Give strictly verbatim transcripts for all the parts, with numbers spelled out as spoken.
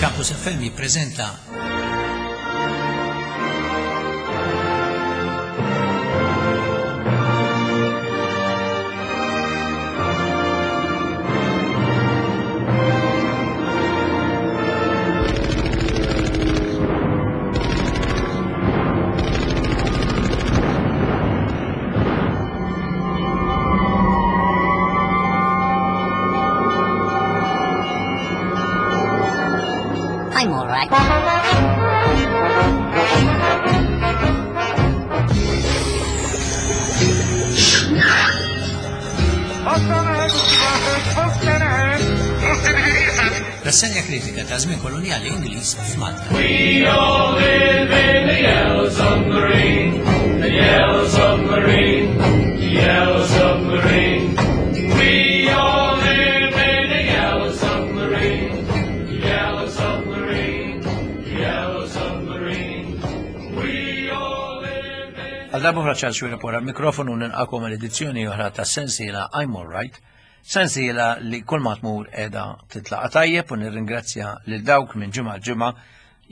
Campus F M jippreżenta I'm all right. Rassenja kritika ta' żmien kolonjali Ingliż f'Malta. We all live in a yellow submarine, the yellow submarine, the yellow submarine. We all live in a yellow submarine, the yellow submarine, the yellow submarine. We all live in Għal darba Charles Xuereb wara mikrofonu nilqagħkom għal edizzjoni oħra ta' sensiela I'm All Right, sensiela li kull ma tmur qiegħda titlaqa tajjeb u nirringrazzja lil dawk minn ġimgħa ġimgħa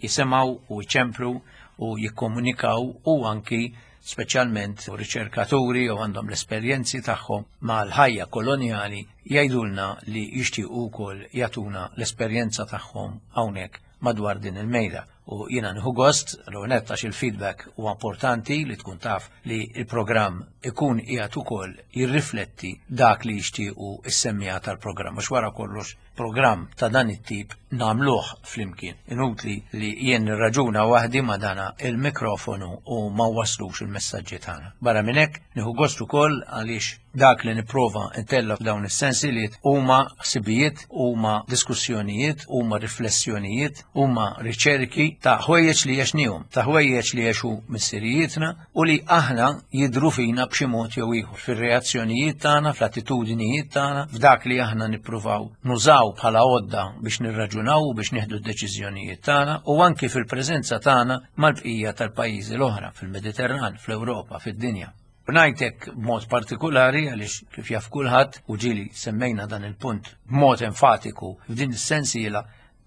jisimgħu u jċemplu u jikkomunikaw u anki speċjalment riċerkaturi u għandhom l-esperjenzi tagħhom mal-ħajja kolonjali jgħidulna li jixtiequ wkoll jagħtuna l-esperjenza tagħhom hawnhekk madwar din il-mejda. U jiena nieħu gost, l-għonet għax il-feedback huwa importanti li tkun taf li il-programm ikun qiegħed ukoll jirrifletti dak li jixtiequ is-semmiegħa tal-programm. Għax wara kollox programm ta' dan it-tip nagħmluh flimkien. Inutli li jien nirraġuna waħdi ma' dana il-mikrofonu u ma waslux il-messaġġi tagħna. Barra minn hekk nieħu gost ukoll għaliex dak li nipprova ntella' f'dawn is-sensiliet huma ħsibijiet, huma diskussjonijiet, huma riflessjonijiet, huma riċerki ta' ħwejjeġ li għexnihom, ta' ħwejjeġ li għexu missirijietna u li aħna jidru fina b'xi mod jew ieħor fir-reazzjonijiet tagħna, fl-attitudnijiet tagħna, f'dak li aħna nippruvaw nużaw bħala għodda biex nirraġunaw u biex nieħdu d-deċiżjonijiet tagħna u anki fil-preżenza tagħna mal-bqija tal-pajjiżi l-oħra fil-Mediterran, fl-Ewropa, fid-dinja. U ngħidlek b'mod partikolari għaliex kif jaf kulħadd u ġieli semmejna dan il-punt b'mod enfatiku f'din is-sensiela,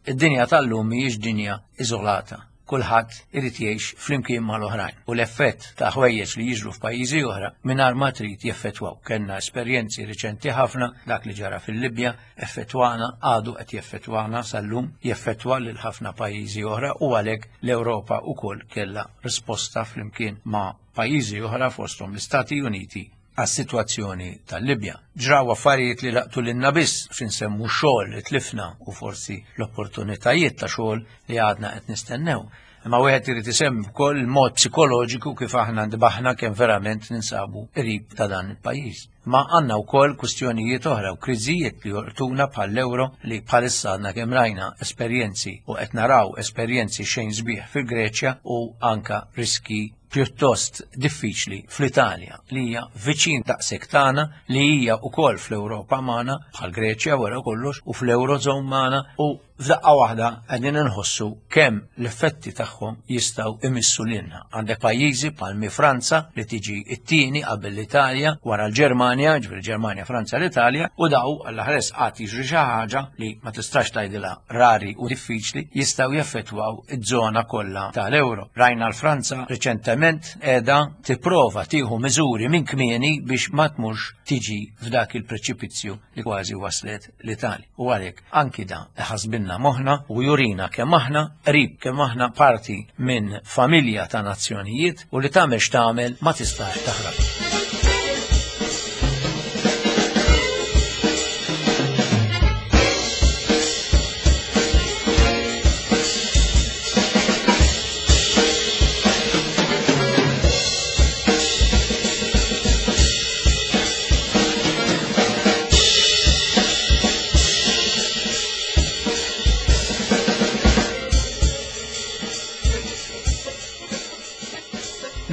id-dinja tal-lum mhijiex dinja iżolata. Kulħadd irid jgħix flimkien mal-oħrajn u l-effett ta' ħwejjeġ li jiġru f'pajjiżi oħra mingħajr ma trid jeffettwaw. Kellna esperjenzi riċenti ħafna dak li ġara fil-Libja effettwana, għadu qed jeffettwana sal-lum, jeffettwa lil ħafna pajjiżi oħra u għalhekk l-Ewropa wkoll kellha risposta flimkien ma' pajjiżi oħra fosthom l-Istati Uniti għas-sitwazzjoni tal-Libja. Ġraw affarijiet li laqtu lilna biss x'insemmu xogħol li tlifna u forsi l-opportunitajiet ta' xogħol li għadna qed nistennew. Imma wieħed irid isemmi wkoll il-mod psikoloġiku kif aħna ndbaħna kemm verament ninsabu qrib ta' dan il-pajjiż. Ma għandna wkoll kwistjonijiet oħra u kriżijiet li jolqtuna bħall-euro li bħalissa għandna kemm rajna esperjenzi u qed naraw esperjenzi xejn sbieħ fil-Greċja u anka riski pjuttost diffiċli fl-Italja li hija viċin daqshekk tagħna li hija wkoll fl-Ewropa magħna bħal Greċja wara kollox u fl-Eurozone magħna u f'daqqa waħda qegħdin inħossu kemm l-effetti tagħhom jistgħu imissu lilna. Għandek pajjiżi bħal Franza li tiġi t-tieni qabel l-Italja wara l-Ġermanja, ġifieri Ġermanja, Franza, l-Italja, u daw għall-ħares qatt jiġri xi ħaġa li ma tistax tgħidilha rari u diffiċli jistgħu jeffettwaw iż-żona kollha tal-euro. Rajna l-Franza riċentement qiegħda tipprova tieħu miżuri minn kmieni biex ma tmurx tiġi f'dak il-preċipizzju li kważi waslet l-Italja. U għalhekk anki da ħasbinna moħħna u jurina kemm aħna qrib, kemm aħna parti minn familja ta' nazzjonijiet u li tagħmel x'tagħmel ma tistax taħrab.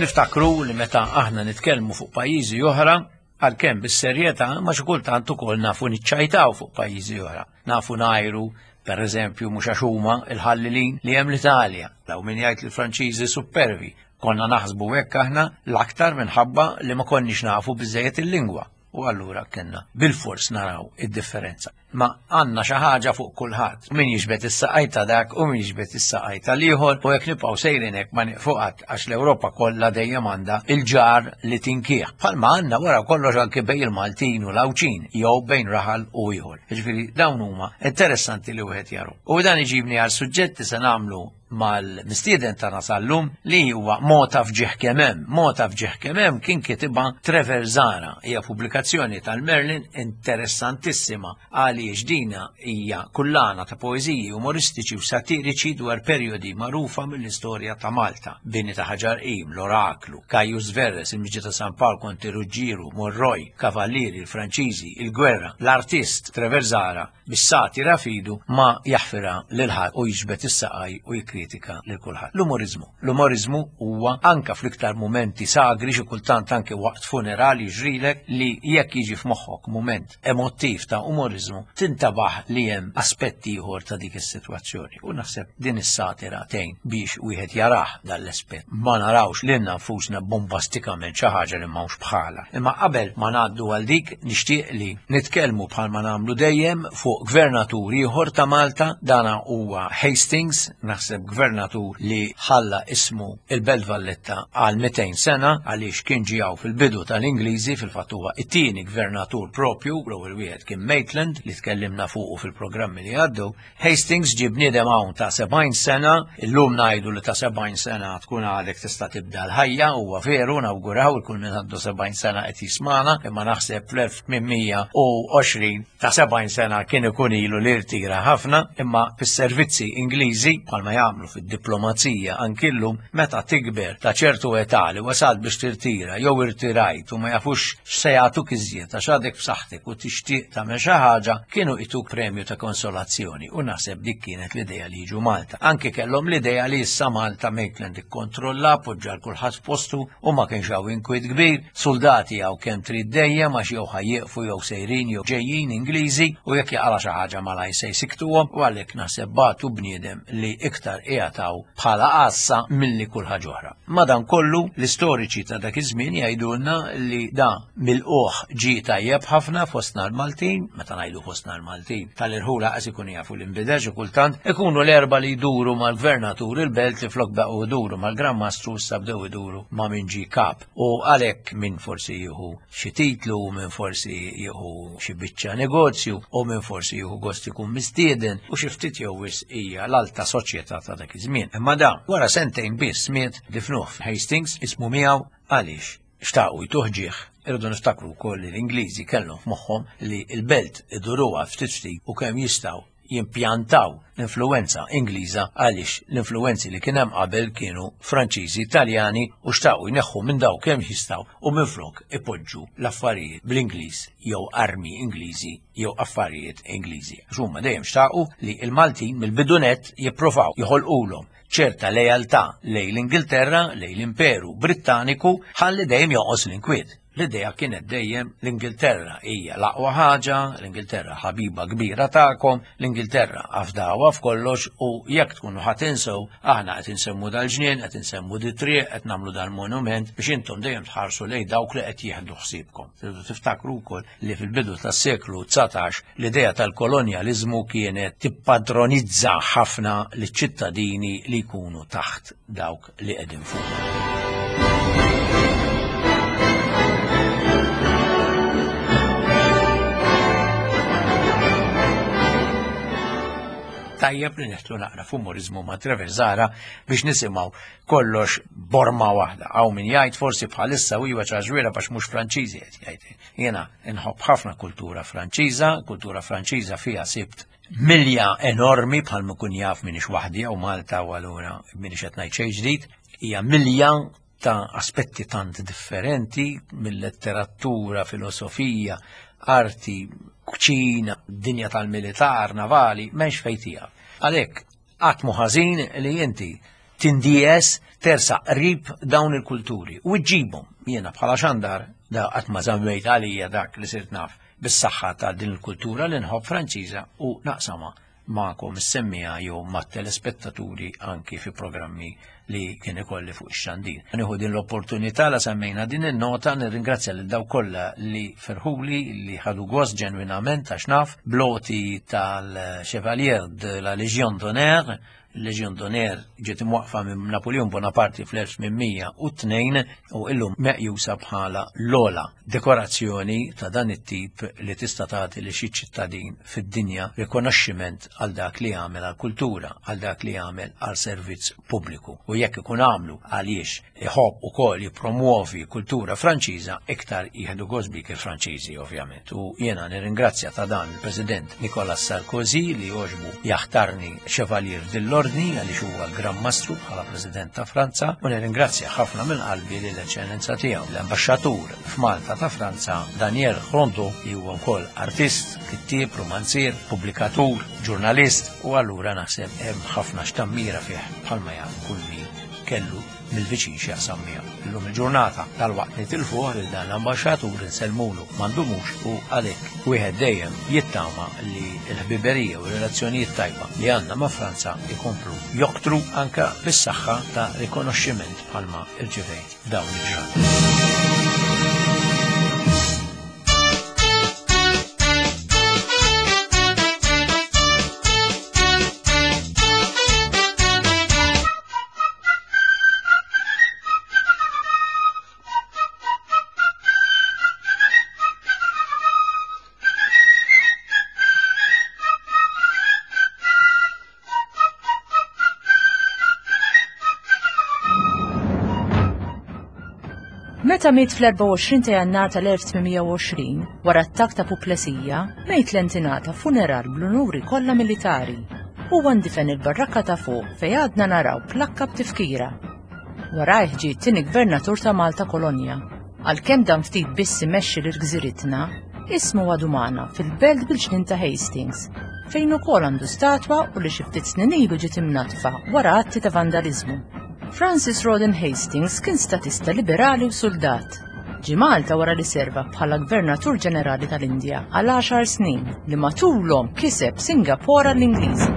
Niftakru li meta aħna nitkellmu fuq pajjiżi oħra, għalkemm bis-serjetà, ma xi kultant ukoll nafu niċċajtaw fuq pajjiżi oħra. Nafu ngħajru, per eżempju, mhux għax huma il-ħallilin li hemm l-Italja, daw min jgħid li l-Franċiżi supervi. Konna naħsbu hekk aħna l-aktar minħabba li ma konniex nafu biżejjed il-lingwa. U allura kellna bilfors naraw id-differenza. Ma għandna xi ħaġa fuq kulħadd. Min jiġbed is-saqaj ta' dak u min jiġbed is-saqaj tal-ieħor u jekk nibqgħu sejrin hekk ma nieqfu qatt għax l-Ewropa kollha dejjem għandha il-ġar li tinkieħ. Bħalma għandna wara kollox anke bejn il-Maltin u l-Għawdxin jew bejn raħal u ieħor. Jiġifieri dawn huma interessanti li wieħed jaru. U dan iġibni għal suġġetti se nagħmlu mal-mistieden tagħna sal-lum li huwa Mota f'Ġieħ Kemm Hemm. Mota f'Ġieħ Kemm Hemm kien kitibha Trevor Zahra. Hija pubblikazzjoni tal-Merlin interessantissima għaliex dina hija kullana ta' poeżiji umoristiċi u satiriċi dwar perjodi magħrufa mill-istorja ta' Malta. Bini ta' Ħaġar Qim, l-Oraklu, Caius Verres, il-Miġja ta' San Pawl, Konti Ruġġieru, Monroy, Kavallieri, il-Franċiżi, il-Gwerra. L-artist Trevor Zahra bis-satira fidu ma jaħfirha lil ħadd u jiġbed is-saqaj u jikkritika lil kulħadd. L-umorizmu. L-umorizmu huwa anka fl-iktar mumenti sagri, xi kultant anke waqt funerali jiġrilek li jekk jiġi f'moħħok mument emottiv ta' umorizmu tintabaħ li hemm aspetti ieħor ta' dik is-sitwazzjoni. U naħseb din is-satira tgħin biex wieħed jarah dan l-aspett. Ma narawx lilna nfusna bombastikament xi ħaġa li m'hawnx bħala. Imma qabel ma ngħaddu għal dik nixtieq li nitkellmu bħalma nagħmlu dejjem fuq gvernatur ieħor ta' Malta, dana huwa Hastings, naħseb gvernatur li ħalla ismu il-Belt Valletta għal mitejn sena għaliex kien ġijaw fil-bidu tal-Ingliżi, fil-fatt huwa it-tieni gvernatur propju, l-ewwel wieħed kien Maitland li tkellimna fuqu fil-programmi li għaddew. Hastings ġie bniedem hawn ta' sebgħin sena, illum ngħidu li ta' sebgħin sena tkun għadek tista' tibda l-ħajja, huwa veru, nawguraw il kull min għandu sebgħin sena qed jismana, imma naħseb fl-elf tmien mija u għoxrin ta' sebgħin sena kien ikun ilu li rtira ħafna, imma fis-servizzi Ingliżi bħalma jagħmlu fid-diplomazija anki llum, meta tikber ta' ċertu età li wasalt biex tirtira jew irtirajt u ma jafux x'se jagħtuk iżjed għax għadek b'saħħtek u tixtieq tagħmel xi ħaġa, kienu jtuk premju ta' konsolazzjoni u naħseb dik kienet l-idea li jiġu Malta. Anki kellhom l-idea li issa Malta Maitland ikkontrolla, poġġa l kulħadd f'postu u ma kienx hawn inkwiet kbir, soldati hawn kemm trid dejjem għax jew ħajjieqfu jew sejrin jew ġejjin Ingliżi u jekk jaqra xi ħaġa malaj se jsiktuhom, u għalhekk naħseb bagħtu bniedem li iktar qiegħataw bħala għassa milli kull ħaġa oħra. Madankollu l-istoriċi ta' dak iż-żmien jgħidulna li da mill-qoħ ġie tajjeb ħafna fostna l-Maltin, meta ngħidu fostna l-Maltin tal-irħula qas ikun jafu l-inbidel xi kultant, ikunu l-erba' li jduru mal-gvernatur il-belt li flok baqgħu jduru mal-Gran Mastru issa bdew iduru ma' min ġie kap. U għalhekk min forsi jieħu xi titlu, min forsi jieħu xi biċċa negozju, u min forsi jieħu gost ikun mistieden, u xi ftit jew wisq hija l-alta soċjetà ta' dak iż-żmien. Imma da wara sentejn biss miet difnuh f'Hastings, ismu miegħu għaliex xtaqu jtuh ġieħ. Irridu niftakru wkoll li l-Ingliżi kellhom f'moħħhom li l-belt iduruha ftit ftit u kemm jistgħu jimpjantaw l-influenza Ingliża għaliex l-influenzi li kien hemm qabel kienu Franċiżi, Taljani u xtaqu jneħħu minn daw kemm jistgħu u minflok ipoġġu l-affarijiet bl-Ingliż jew armi Ingliżi jew affarijiet Ingliżi. Għax huma dejjem xtaqu li l-Maltin mill-bidunet jippruvaw joħolqulhom ċerta lealtà lejn l-Ingilterra, lejn l-Imperu Brittaniku, ħalli dejjem joqos l-inkwiet. L-idea kienet dejjem l-Ingilterra hija l-aqwa ħaġa, l-Ingilterra ħabiba kbira tagħkom, l-Ingilterra afdawha f'kollox u jekk tkunu ħa tinsew, aħna qed insemmu dal-ġnien, qed insemmu di triq, qed nagħmlu dal-monument biex intom dejjem tħarsu lejn dawk li qed jieħdu ħsiebkom. Tridu tiftakru wkoll li fil-bidu tas-seklu dsatax l-idea tal-kolonjaliżmu kienet tippadronizza ħafna liċ-ċittadini li jkunu taħt dawk li qegħdin fuqhom. Tajjeb li neħtlu naqra f'umorizmu ma' Trevor Zahra biex nisimgħu kollox borma waħda. Hawn min jgħid forsi bħalissa u iwa ċaġwiera biex mhux Franċiżi qed jgħid. Jiena nħobb ħafna kultura Franċiża, kultura Franċiża fiha sibt milja enormi bħal ma kun jaf minix waħdi hawn Malta u allura minix qed ngħid xejn ġdid, hija milja ta' aspetti tant differenti mill-letteratura, filosofija, arti, kċina, dinja tal-militar, navali, m'hemmx fejn tiegħek. Għalhekk qatt mhu ħażin li inti tindies tersa qrib dawn il-kulturi u ġġibhom. Jiena bħala xandar da qatt ma żammejt għalija dak li sirt naf bis-saħħa ta' din il-kultura li nħobb Franċiża u naqsamha magħkom is-semmiegħa jew mat-telespettaturi anki fi programmi li kien ikolli fuq ix-xandir. Nieħu din l-opportunità la semmejna din in-nota nirringrazzja lil dawk kollha li ferħuli li ħadu gost ġenwinament għax naf bl-għoti tal-Chevalier de la Légion d'Honneur. Legion d'Honneur ġiet imwaqfa minn Napoleon Bonaparte fl-elf tmien mija u tnejn u illum meqjusa bħala l-ogħla dekorazzjoni ta' dan it-tip li tista' tagħti li xi ċittadin fid-dinja, rikonoxximent għal dak li jagħmel għal kultura, għal dak li jagħmel għal servizz pubbliku. U jekk ikun għamlu għaliex iħobb ukoll jippromuovi kultura Franċiża, iktar jieħdu gost bik il-Franċiżi, ovvjament. U jiena nirringrazzja ta' dan il-President Nicolas Sarkozy li għoġbu jaħtarni Chevalier dell-Ordni għaliex huwa Gran Mastru bħala President ta' Franza, u nirringrazzja ħafna minn qalbi lill-Eċċellenza tiegħu l-Ambaxxatur f'Malta ta' Franza, Daniel Rondeau, li huwa wkoll artist, kittieb, romanzier, pubblikatur, ġurnalist, u allura naħseb hemm ħafna x'tammira fih bħalma jaf kull min kellu mill-viċin x'jaqsam miegħu. Illum il-ġurnata tal-waqt nitilfuh lil dan l-ambaxxatur, insellmulu m'għandumux, u għalhekk wieħed dejjem jittama li l-ħbiberija u relazzjonijiet tajba li għandna ma' Franza ikomplu joktru anka bis-saħħa ta' rikonoxximent bħalma irċivejt f'dawn il-ġranet. Meta miet fl-erbgħa u għoxrin ta' Jannar tal-elf tmien mija u għoxrin, wara attakk ta' puplesija, Maitland ingħata funeral bl-unuri kollha militari. Huwa ndifen il-barrakka ta' fuq fejn għadna naraw plakka b'tifkira. Warajh ġie t-tieni gvernatur ta' Malta Kolonja. Għalkemm dam ftit biss imexxi lil gżiritna, ismu għadu magħna fil-belt bil-ġnien ta' Hastings, fejn ukoll għandu statwa u li xi ftit snin ilu ġiet imnatfa wara atti ta' vandaliżmu. Francis Rawdon Hastings kien statista liberali u soldat. Ġie Malta wara li serva bħala Gvernatur Ġenerali tal-Indja għal għaxar snin li matulhom kiseb Singapore l-Ingliżi.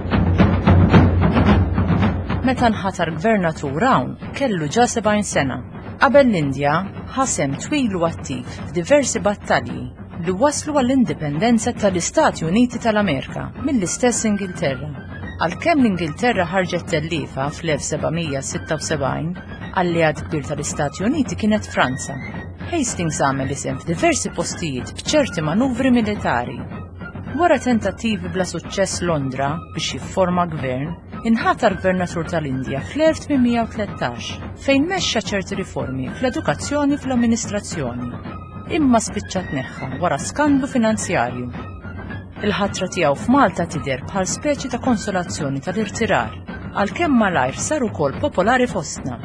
Meta nħatar gvernatur hawn kellu ġa sebgħin sena. Qabel l-Indja ħa sehem twil u attiv f'diversi battalji li waslu għall-indipendenza tal-Istati Uniti tal-Amerika mill-istess Ingilterra. Għalkemm l-Ingilterra ħarġet tellifa fl-elf seba' mija sitta u sebgħin, alleat kbir tal-Istati Uniti kienet Franza. Hastings għamel isem f'diversi postijiet b'ċerti manuvri militari. Wara tentattivi bla suċċess Londra biex jifforma gvern, inħatar gvernatur tal-Indja fl-elf tmien mija u tlettax, fejn mexxa ċerti riformi fl-edukazzjoni u fl-amministrazzjoni. Imma spiċċa tneħħa wara skandlu finanzjarju. Il-ħatra tiegħu f'Malta tidher bħal speċi ta' konsolazzjoni tal-irtirar, għalkemm malajr sar ukoll popolari fostna.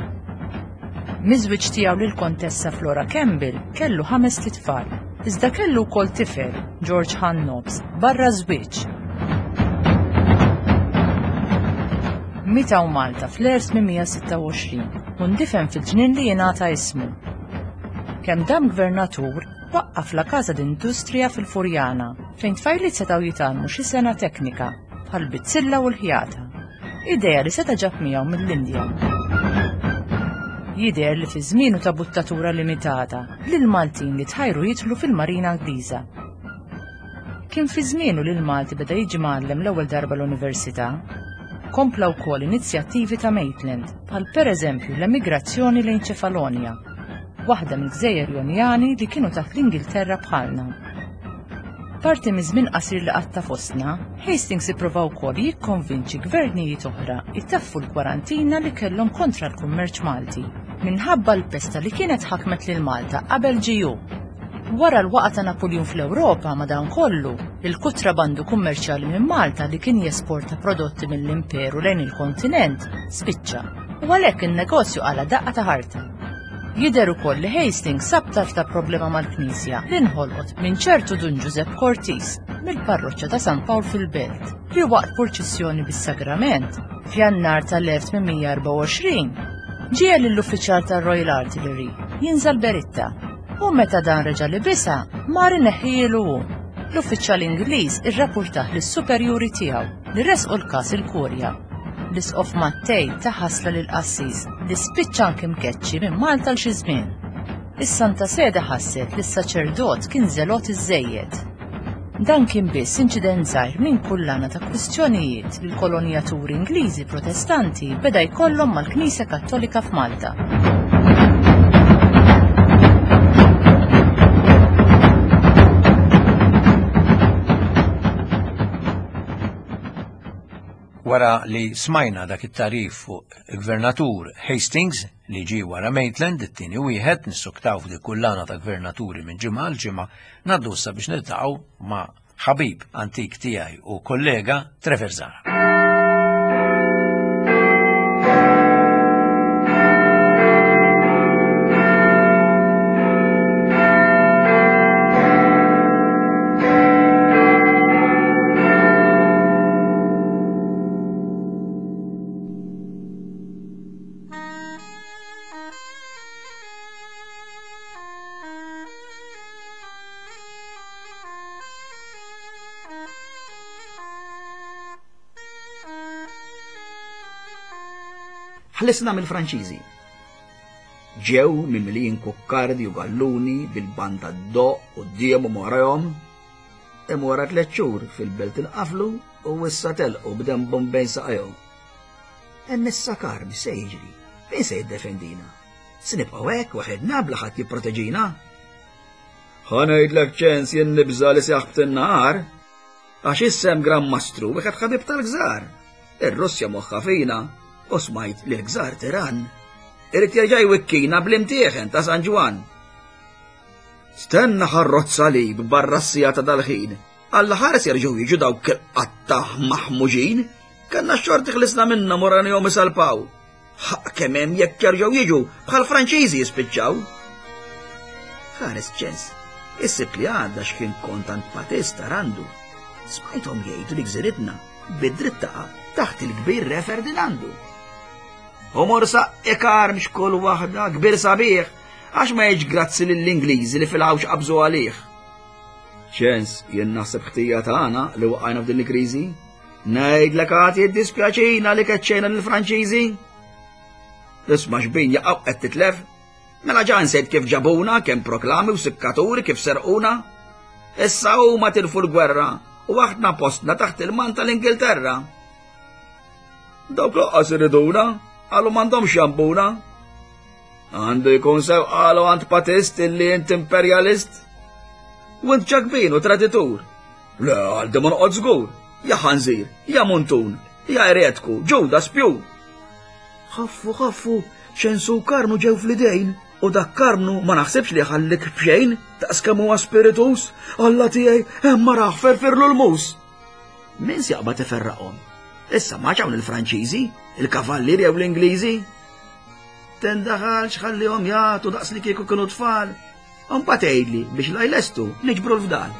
Miż-żwieġ tiegħu lil Kontessa Flora Campbell kellu ħamest itfal, iżda kellu wkoll tifel, George Hunt Nobbs, barra żwieġ. Miet hawn Malta fl-elf tmien mija sitta u għoxrin u ndifen fil-ġnien li jingħata ismu. Kemm dam gvernatur, waqqaf la Casa d'Industria fil-Furjana, fejn tfajliet setgħu jitgħallmu xi sengħa teknika bħal bizzilla u l-ħjata. Idea li seta' ġab miegħu mill-Indja. Jidher li fi żmienu ta' buttatura limitata lil Maltin li tħajru jidħlu fil-Marina Ingliża. Kien fi żmienu li l-Malti beda jiġi mgħallem l-ewwel darba l-università. Kompla wkoll inizjattivi ta' Maitland, bħal pereżempju l-emigrazzjoni lejn Ċefalonja, waħda mill-gżejjer Jonjani li kienu taħt l-Ingilterra bħalna. Parti miż-żmien qasir li qatta fostna, Hastings ipprova wkoll jikkonvinċi gvernijiet oħra jtaffu l-kwarantina li kellhom kontra l-kummerċ Malti minħabba l-pesta li kienet ħakmet lil Malta qabel ġie hu. Wara l-waqa ta' Napoleon fl-Ewropa, madankollu, il-kutrabandu kummerċjali minn Malta li kien jesporta prodotti mill-imperu lejn il-kontinent spiċċa u għalhekk in-negozju qala' daqqa ta' ħarta. Jidher ukoll li Hastings sab tarf ta' problema mal-Knisja li nħolqot minn ċertu Dun Giuseppe Cortis mill-parroċċa ta' San Pawl fil-Belt, li waqt purċissjoni bis-sagrament f'Jannar tal-elf tmien mija erbgħa u għoxrin ġiegħel lill-uffiċjal tar-Royal Artillery jinża' l-beritta, u meta dan reġa' libisha mar ineħħielu hu. L-uffiċjal Ingliż irrapportah lis-superjuri tiegħu li resqu l-każ il-Kurja. L-Isqof Mattei ta ħasla lil qassis li spiċċa anke mkeċċi minn Malta l xi żmien. Is-Santa Sede ħasset li s-saċerdot kien żelot iżżejjed. Dan kien biss inċident żgħir minn kullana ta' kwistjonijiet li l-kolonjaturi Ingliżi Protestanti beda jkollhom mal-Knisja Kattolika f'Malta. Wara li smajna dak it-tarif fuq il-Gvernatur Hastings li ġie wara Maitland, it-tieni wieħed nissuktaw f'dik kullana ta' gvernaturi minn ġimgħa għal ġimgħa, ngħaddu issa biex niltaqgħu ma' ħabib antik tiegħi u kollega Trevor Zahra. Ħlisna mill-Franċiżi. Ġew mimlijin kukkardi u galluni bil-banda d-doq u d-diem u morajhom. Hemm wara tliet xhur fil-belt inqaflu u issa telqu b'dembhom bejn saqajhom. Hemm issa karmi se jiġri, min se jiddefendina? Se nibqgħu hekk waħedna bla ħadd jipproteġina? Ħa ngħidlek ċens jien nibża' li se jaħbet in-nahar, għax issa hemm Gran Mastru wieħed ħabib tal-gżar. Ir-Russja moħħa fina u smajt li l-gżar tiran. Irid jerġa' jwikkina bl-imtieħen ta' San Ġwann. Stenna ħarrot salib barra s-sija ta' dal-ħin. Alla ħares jerġgħu jiġu dawk il-qatta maħmuġin. Kellna x-xorti ħlisna minnhom u ranihom isalpaw. Ħaq kemm hemm jekk jerġgħu jiġu bħal Franċiżi jispiċċaw. Ħares ċens, is-sibt li għadda x'kien kont għand Patista Randu. Smajthom jgħidu li gżiritna bid-dritt taqa' taħt il-kbir Re Ferdinandu. U morsa ikarm xkull waħda kbir sabiħ, għax ma jgħidx grazzi lill-Ingliżi li fil-ħawx qabżu għalih. Ċens, jien naħseb ħtija tagħna li waqajna f'din il-kriżi. Ngħidlek għad jiddispjaċina li keċċejna lill-Franċiżi. Isma' xbin jaqgħu qed titlef. Mela ġa nsejt kif ġabuna, kemm proklami u sikkaturi kif serquna. Issa huma tilfu l-gwerra u aħna postna taħt il-man tal-Ingilterra. Dawk laqqas iriduna, qalu m'għandhomx jambuna. Għandu jkun sew qalu għand Patist illi int imperjalist. U int ġakbin u traditur. Le, għal di ma noqgħod żgur. Ja ħanżir, ja muntun, ja eretku, ġuda spju. Ħaffu, ħaffu, ċensu Karnu ġew fl-idejn, u dak Karnu ma naħsibx li ħallik b'xejn, daqs kemm huwa spiritus, Alla tiegħi hemm ma raħ ferfirlu l-mus. Min se jaqbad iferraqhom? Issa ma hawn il-Franċiżi, il-Kavallieri jew l-Ingliżi. Tendaħalx ħallihom jagħtu daqs li kieku kienu tfal. U mbagħad tgħidli biex la jlestu niġbru l-fdal.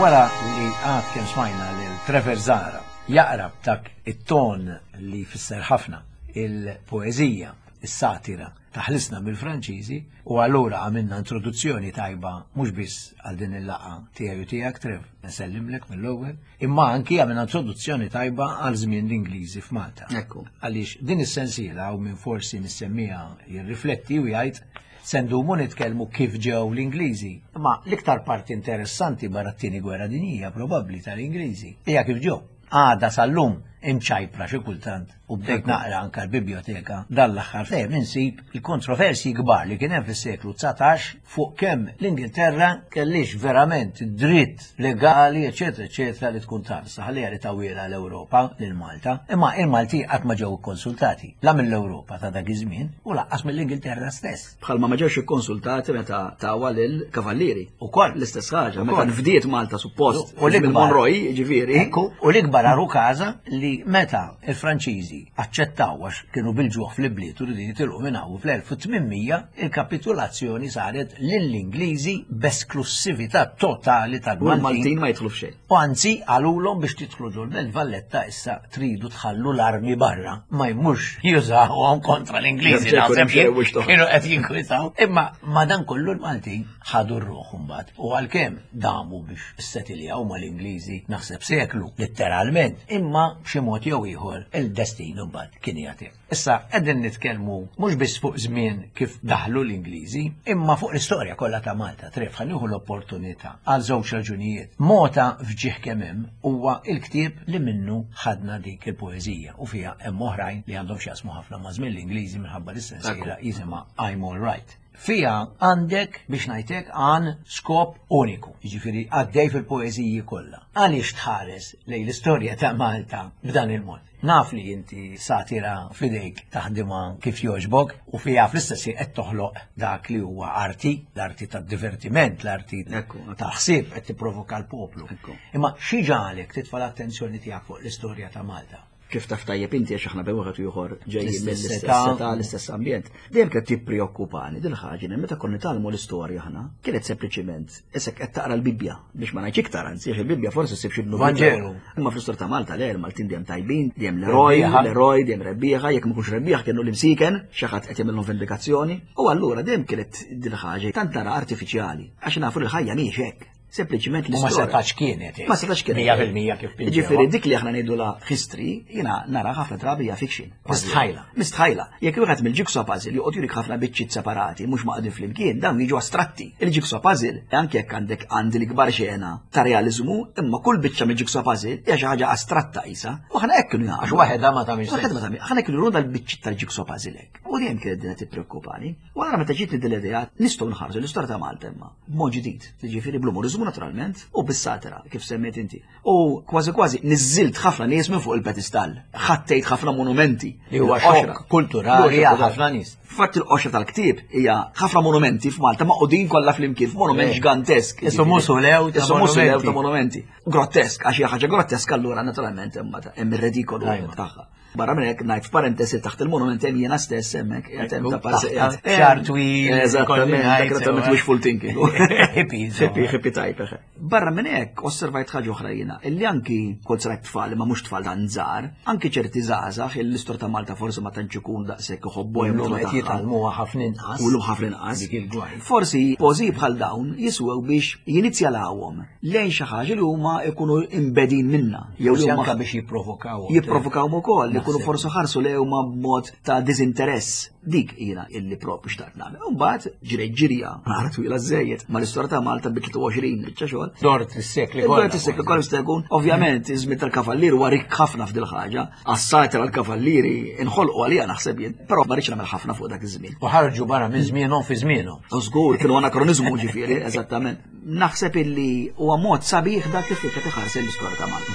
Wara li għad kemm smajna lil Trevor Zahra jaqra b'dak it-ton li jfisser ħafna il-poeżija, is-satira ta' Ħlisna mill-Franċiżi, u allura għamilna introduzzjoni tajba mhux biss għal din il-laqgħa tiegħi u tiegħek Trev, nsellimlek mill-ewwel, imma anki għamilna introduzzjoni tajba għal żmien l-Ingliżi f'Malta. Ekku. Għaliex din is-sensiela u minn forsi nissemmija jirrifletti u jgħid se ndumu nitkellmu kif ġew l-Ingliżi. Ma l-iktar parti interessanti barra t-tieni gwerra dinjija probabbli tal-Ingliżi hija kif ġew. Għada sal-lum Imċajpra xi kultant u bdejt naqra anka l-biblioteka dan l-aħħar fejn insib il-kontroversji kbar li kien hemm fis-seklu dsatax fuq kemm l-Ingilterra kellix verament dritt legali, eċetera, eċetera, li tkun tarsa ħalliha li tawwiela l-Ewropa lil Malta, imma il-Malti qatt ma ġew ikkonsultati la mill-Ewropa ta' dak iż-żmien u lanqas mill-Ingilterra stess. Bħalma ma ġewx ikkonsultati meta tawa lill-Kavallieri. Ukoll. L-istess ħaġa, meta nfdiet Malta suppost. U l-ikbar Monroy, ġifieri. U l-ikbar għaru każa li meta il-Franċiżi aċċettaw għax kienu bil-ġuħ fl-ibliet u rridu jitilqu minn hawn fl-elf u tmien mija, il-kapitulazzjoni saret lill-Ingliżi b'esklussività totali tal-Maltin. U l-Maltin ma jidħlu f'xejn. U anzi qalulhom biex tidħlu ġol-Belt Valletta issa tridu tħallu l-armi barra, ma jmux jużawhom kontra l-Ingliżi, naħseb kienu qed jinkwitaw. Imma madankollu l-Maltin ħadu r-ruħ imbagħad. U għalkemm damu biex issetiljaw mal-Ingliżi naħseb seklu, letteralment, imma b'xi mod jew ieħor il-destin imbagħad kien jagħti. Issa qegħdin nitkellmu mhux biss fuq żmien kif daħlu l-Ingliżi, imma fuq l-istorja kollha ta' Malta. Tref ħa nieħu l-opportunità għal żewġ raġunijiet. Mota f'ġieħ kemm hemm huwa l-ktieb li minnu ħadna dik il-poeżija u fiha hemm oħrajn li għandhom x'jaqsmu ħafna ma' żmien l-Ingliżi minħabba l-istensiela jisimha I'm All Right. Fija għandek biex ngħidlek għan skop uniku, jiġifieri għaddej fil-poeżiji kollha. Għaliex tħares lejn l-istorja ta' Malta b'dan il-mod? Naf li inti satira f'idejk taħdimha kif jogħġbok u fiha fl-istess ħin qed toħloq dak li huwa arti, l-arti tad-divertiment, l-arti tal-ħsieb qed tipprovoka l-poplu. Imma xi ġalek titfa' l-attenzjoni tiegħek fuq l-istorja ta' Malta? Kif taf tajjeb inti għax aħna bejn wieħed u ieħor ġejjin mill-istess età, l-istess ambjent. Dejjem kienet tippreokkupani din ħaġa li meta konna nitgħallmu l-istorja aħna, kienet sempliċiment isek qed taqra l-Bibbja biex ma ngħidx iktar anzi għax il-Bibbja forsi ssib xi dnub. Vanġelu. Imma fl-istorja ta' Malta le, il-Maltin dejjem tajbin, dejjem l-eroj, l-eroj, dejjem rebbieħa, jekk ma kunx rebbieħ kienu l-imsiken, xi ħadd qed jagħmilhom vendikazzjoni. U allura dejjem kienet din ħaġa tant nara artifiċjali għax nafu li l-ħajja mhijiex hekk. Sempliċiment U ma l-istorja. setax kienet. Ma setax kienet. Mija fil-mija kif pinġewa. Ġifieri dik li aħna ngħidu la history, jiena nara ħafna drabi hija fiction. Mistħajla. Mistħajla. Jekk wieħed mill-jigsaw puzzle joqgħod jurik ħafna biċċiet separati mhux maqdin flimkien, dawn jiġu astratti. Il-jigsaw puzzle, anke jekk għandek għandi l-ikbar xena ta' realiżmu, imma kull biċċa mill-jigsaw puzzle hija xi ħaġa astratta qisha. U aħna hekk kienu jagħmlu. Għax waħedha ma tagħmilx Waħedha ma tagħmilx. Aħna kienu juru dal-biċċiet tal-jigsaw puzzle hekk. U dejjem kienet dinha tippreokkupani. U allura meta ġiet din l-idea nistgħu nħarsu l-istorja ta' Malta imma b'mod ġdid. Jiġifieri bl-umoriżmu naturalment u bis-satira kif semmejt inti. U kważi kważi niżżilt ħafna nies minn fuq il-pedestall. Ħattejt ħafna monumenti. Li huwa Il-qoxra. xokk kulturali Li huwa għal ħafna nies. Fatt il-qoxra tal-ktieb hija ħafna monumenti f'Malta maqudin kollha flimkien f'monument Eh. ġgantesk. Isu musulew ta' Isu musulew ta' monumenti. monumenti. Grottesk, għax hija ħaġa grottesk allura naturalment hemm hemm ir-redikolu Ajma. tagħha. Barra minn hekk ngħid f'parentesi taħt il-monument hemm jiena stess hemmhekk qiegħed hemm ta' parsi Taħt qiegħed. xar twil, Eżattament, kolli dak ngħid, naturalment sewa. wishful thinking. Hippie, insomma. Hippie, hippie type, eħe. Barra minn hekk osservajt ħaġa oħra jiena, illi anki kont rajt tfal ma mhux tfal dan żgħar, anki ċerti żgħażagħ l-istorja ta' Malta forsi ma tantx ikun daqshekk iħobbu Illum jagħmlu qed tagħha. jitgħallmuha ħafna inqas. U llum ħafna inqas. Dik il-gwaj. Forsi pożiji bħal dawn jiswew biex jinizjalawhom lejn xi ħaġa li huma jkunu imbedin minna. Jew li Forsi huma anke biex jipprovokaw. jipprovokawhom ukoll, li jkunu Naħseb. forsi ħarsu lejhom b'mod ta' diżinteress. Dik jiena illi propju xtaqt nagħmel. U mbagħad ġirej ġirja, nara twila żejjed, ma l-istorja ta' Malta bi tlieta u għoxrin biċċa xogħol. Dort is-sekli kollha. Dort is-sekli kollha jista' jkun. Ovvjament, iż-żmien tal-kavallieri huwa rikk ħafna f'dil ħaġa. Għas-satira tal-kavallieri inħolqu għalija naħseb jien, però ma rridx nagħmel ħafna fuq dak iż-żmien. U ħarġu barra minn żmienhom fi żmienhom. U żgur kienu anakronizmu ġifieri, eżattament. Naħseb illi huwa mod sabiħ dak kif qed iħares l-istorja ta' Malta.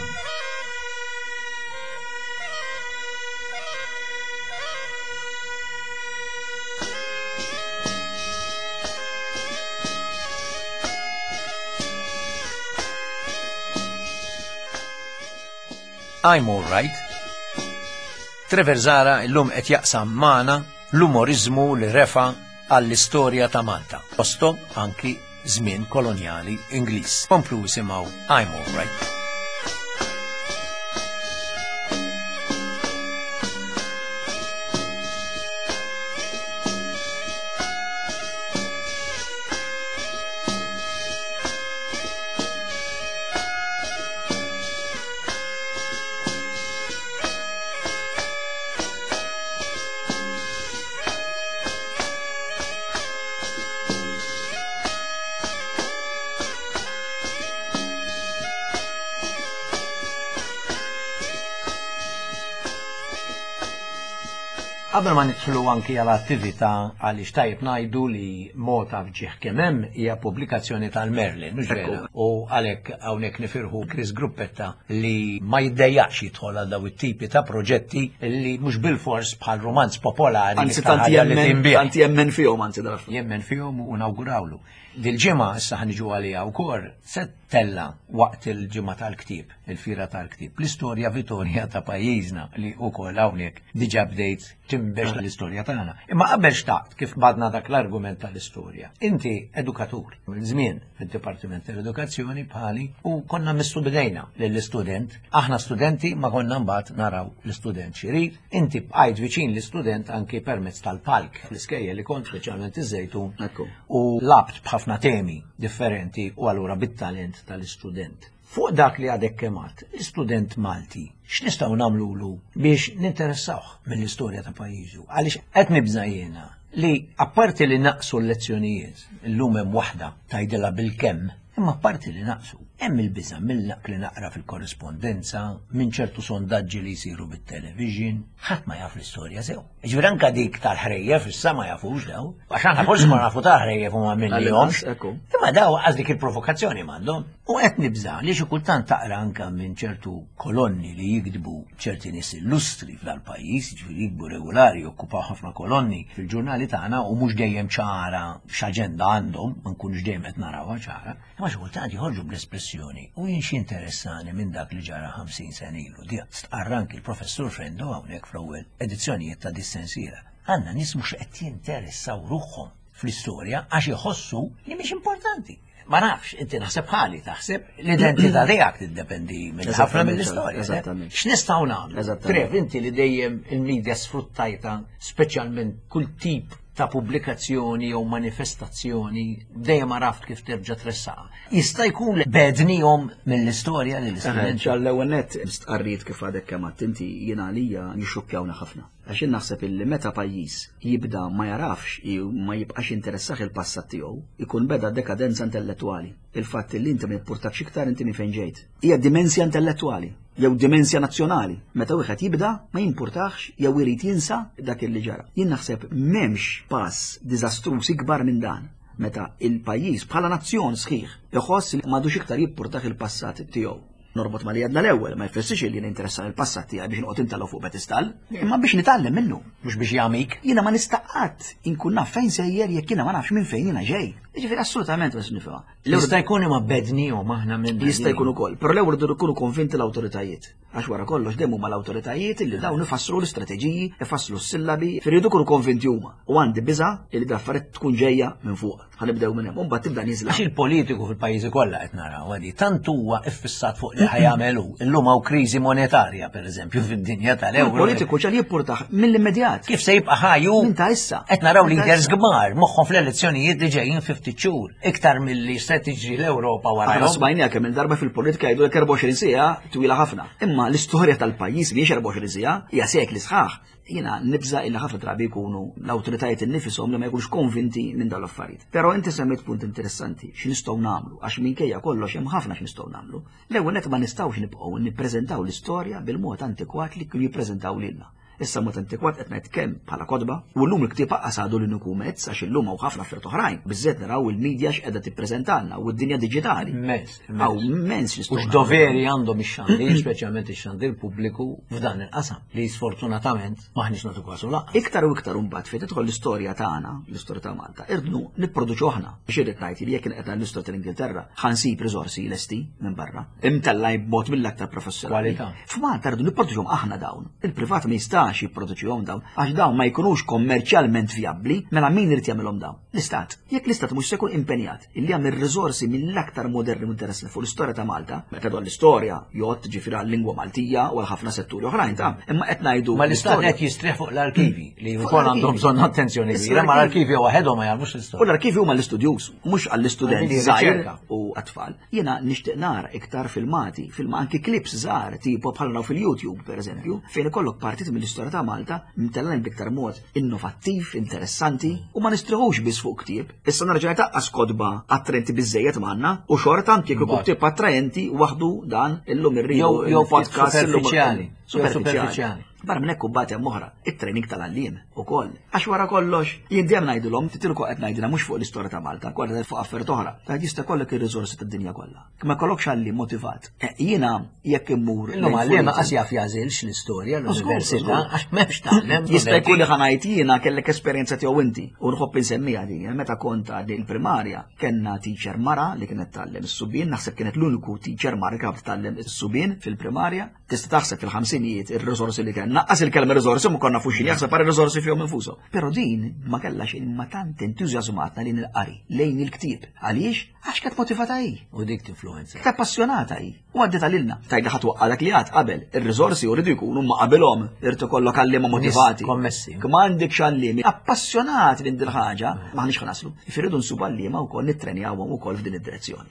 I'm All Right. Trevor Zahra illum qed jaqsam magħna l-umorizmu li refa għall-istorja ta' Malta. Postom anki żmien kolonjali Ingliż. Komplu isimgħu I'm All Right. Qabel ma nidħlu anki għal attività, għaliex tajjeb ngħidu li Mota f'Ġieħ Kemm Hemm hija pubblikazzjoni tal-Merlin, mhux vera? U għalhekk hawnhekk nifirħu Chris Gruppetta li ma jiddejjaqx jidħol għal daw it-tipi ta' proġetti li mhux bilfors bħal romanz popolari. Anzi, tanti jemmen, tanti jemmen fihom, anzi dal Jemmen fihom u nawgurawlu. Dil-ġimgħa issa ħa niġu għaliha wkoll se tella waqt il-ġimgħa tal-ktieb, il-fira tal-ktieb, l-istorja Vittoria ta' pajjiżna li wkoll hawnhekk diġà bdejt tinbex l-istorja tagħna. Imma qabel xtaqt kif badna dak l-argument tal-istorja. Inti edukatur, minn żmien fid-Dipartiment tal-Edukazzjoni bħali u konna missu bidejna lill-istudent. Aħna studenti ma konna mbagħad naraw l-istudent x'irid. Inti bqajt viċin l-istudent anki permezz tal-palk fl-iskejjel li kont, speċjalment iż-Żejtun, u labt b'ħafna temi differenti u allura bit-talent tal-istudent. Fuq dak li għadek kemat, l-istudent Malti, x'nistgħu nagħmlulu biex ninteressawh mill-istorja ta' pajjiżu? Għaliex qed nibża' jiena li apparti li naqsu l-lezzjonijiet, illum hemm waħda tgħidilha bil-kemm, imma apparti li naqsu, hemm il-biża' mill li naqra fil-korrispondenza, minn ċertu sondaġġi li jsiru bit-television, ħadd ma jaf l-istorja sew. Ġifieri anke dik tal-ħrejjef issa ma jafux daw, għax aħna forsi ma nafu tal-ħrejjef u ma minnihomx. Imma daw għaż dik il-provokazzjoni m'għandhom. U qed nibża' li xi kultant taqra anke minn ċertu kolonni li jikdbu ċerti nies illustri f'dal-pajjiż, ġifieri jikdbu regolari, jokkupaw ħafna kolonni fil-ġurnali tagħna u mhux dejjem ċara x'aġenda għandhom, ma nkunux dejjem qed narawha ċara. Imma xi kultant joħorġu bl-espressjoni u jien x'interessani minn dak li ġara ħamsin sena ilu. Di stqarr anki l-professur Frendo hawnhekk fl-ewwel edizzjonijiet ta' dis-sensiela. Għandna nies mhux qed jinteressaw ruħhom fl-istorja għax iħossu li mhix importanti. Ma nafx, inti naħseb ħali taħseb l-identità tiegħek tiddependi minn ħafna mill-istorja. Eżattament. X'nistgħu nagħmlu? Eżattament. Trev, inti li dejjem il-media sfruttajta, speċjalment kull tip ta' pubblikazzjoni jew manifestazzjoni, dejjem għaraft kif terġa' tressaqa. Jista' jkun li bednihom mill-istorja lill-istudenti. Ċall-ewwel nett stqarriet kif għadek kemm għedt inti jiena għalija jixxukkjawna ħafna. Għax jien naħseb illi meta pajjiż jibda ma jarafx jew ma jibqax interessah il-passat tiegħu, ikun beda dekadenza intellettwali. Il-fatt li inti ma jimpurtakx iktar inti minn fejn ġejt. Hija dimensja intellettwali jew dimensja nazzjonali. Meta wieħed jibda ma jimpurtax jew irid jinsa dak li ġara. Jien naħseb m'hemmx pass diżastruż ikbar minn dan meta il-pajjiż bħala nazzjon sħiħ iħoss li m'għadux iktar jimpurtah il-passat tiegħu. Norbot ma li għedna l-ewwel, ma jfissirx li ninteressa il-passat tiegħi biex noqgħod intellgħu fuq pedestall, imma biex nitgħallem minnu. Mhux biex jagħmik. Jiena ma nista' qatt inkun naf fejn sejjer jekk jiena ma nafx minn fejn jiena ġej. Jiġifieri assolutament ma nifhimha. Jista' jkun imma bednihom aħna minn Jista' jkun ukoll, però l-ewwel irridu jkunu konvinti l-awtoritajiet. Għax wara kollox dejjem huma l-awtoritajiet li dawn ifasslu l-istrateġiji, ifasslu s-sillabi, irridu jkunu konvinti huma. U għandi biża' li l-affarijiet tkun ġejja minn fuq. Ħa nibdew minn hemm, u mbagħad tibda nieżla. Għax il-politiku fil-pajjiżi kollha qed naraw għadi tant huwa iffissat fuq li ħa jagħmel hu. Illum hawn kriżi monetarja pereżempju fid-dinja tal-ewro. Il-politiku ċal jippurtah mill-immedjat. Kif se jibqa' ħaju? Minn ta' issa. Qed naraw Minn ta' leaders issa. kbar moħħhom fl-elezzjonijiet li ġejjin fi ftit xhur. Iktar milli se tiġri l-Ewropa Aħna warahom. smajnija kemm il-darba fil-politika jgħidu l erbgħa u għoxrin siegħa twila ħafna. Imma l-istorja tal-pajjiż mhijiex erbgħa u għoxrin siegħa, hija sekli sħaħ. Jiena nibża illi ħafna drabi jkunu l-awtoritajiet innifishom li ma jkunux konvinti minn dawn l-affarijiet. Però inti semmejt punt interessanti, x'nistgħu nagħmlu, għax minkejja kollox hemm ħafna x'nistgħu nagħmlu. L-ewwel nett ma nistgħux nibqgħu nippreżentaw l-istorja bil-mod antikwat li kienu jippreżentaw lilna. Issa mod antikwat qed ngħid kemm bħala kotba, u llum il-ktieb aqas għadu l-uniku mezz għax illum hawn ħafna affarijiet oħrajn. Biżżejjed naraw il-medja x'qiegħda tippreżentalna u d-dinja diġitali. Immens, Hawn immens U x'nistgħu nagħmlu. x'doveri għandhom ix-xandir, speċjalment ix-xandir pubbliku f'dan il-qasam, li sfortunatament maħniex nagħtu kasu lanqas. Iktar u iktar imbagħad fejn tidħol l-istorja tagħna, l-istorja ta' Malta, irdu nipproduċu aħna. Biex irrid ngħid li jekk qed l-istorja tal-Ingilterra, ħa nsib riżorsi lesti minn barra, imtellgħin b'mod mill-aktar professjonali. Kwalità. F'Malta rridu nipproduċuhom aħna dawn. Il-privat ma jistax jipproduċihom dawn, għax dawn ma jkunux kommerċjalment vijabbli, mela min irid jagħmilhom dawn? L-Istat. Jekk l-Istat mhux se jkun impenjat illi jagħmel riżorsi mill-aktar moderni u interessanti fuq l-istorja ta' Malta, meta dwar l-istorja jgħod ġifieri għal-lingwa Maltija u għal ħafna setturi oħrajn ta' imma qed ngħidu Ma l-istat l-istorja. qed jistrieħ fuq l-arkivi li Fuq wkoll l-arkivi. għandhom bżonn attenzjoni Issa kbira, ma l-arkivi. l-arkivi waħedhom ma jagħmlux U l-istorja. l-arkivi huma l-istudjus, mhux għall-istudent Għalli żgħir riċerka. u għat-tfal. Jiena nixtieq nara iktar filmati, film anki clips żgħar tipo bħal naraw fil-YouTube pereżempju, fejn ikollok partit mill-istorja ta' Malta mtellgħin b'iktar mod innovattiv, interessanti u ma nistriħux biss fuq ktieb. Issa nerġa' taqqas kotba attraenti biżejjed m'għandna u xorta anke jekk ikun ktieb attraenti waħdu dan illum irridu Jew jew il-podcast illum- superfiċjali. Jew Superfiċjali. superfiċjali. Barra minn hekk imbagħad hemm oħra, it-training tal-għalliem ukoll. Għax wara kollox, jien dejjem ngħidilhom, titilku qed ngħidilha mhux fuq l-istorja ta' Malta, kważi fuq affarijiet oħra. Ta' jista' jkollok ir-riżorsi tad-dinja kollha. Ma jkollokx għalliem motivat. Jiena jekk immur. Illum għalliem qas jaf jagħżilx l-istorja l-università għax m'hemmx tgħallem. Jista' jkun li ħa ngħid jiena kellek esperjenza tiegħu inti u nħobb insemmiha din. Meta kont għadni l-primarja kellna teacher mara li kienet tgħallem is-subien, naħseb kienet l-uniku teacher mara li kienet tgħallem is-subien fil-primarja. Tista' taħseb fil-ħamsinijiet ir-riżorsi li kellna. Naqqas il-kelma riżorsi ma konna fuxin jaħseb għal riżorsi fihom infushom. Però din ma kellha xejn ma tant entużjażmatna lejn il-qari, lejn il-ktieb. Għaliex? Għax kienet motivata hi. U dik tinfluenza. Kienet appassionata hi. U għaddiet għalilna. Tajda ħadd waqqa dak li għad qabel. Ir-riżorsi jridu jkunu ma qabilhom, irid ikollok għalliema motivati. Kommessi. Ma għandekx għalliemi appassjonati lejn din ħaġa, m'aħniex ħa naslu. Irridu nsubu għalliema wkoll nittrenjawhom ukoll f'din id-direzzjoni.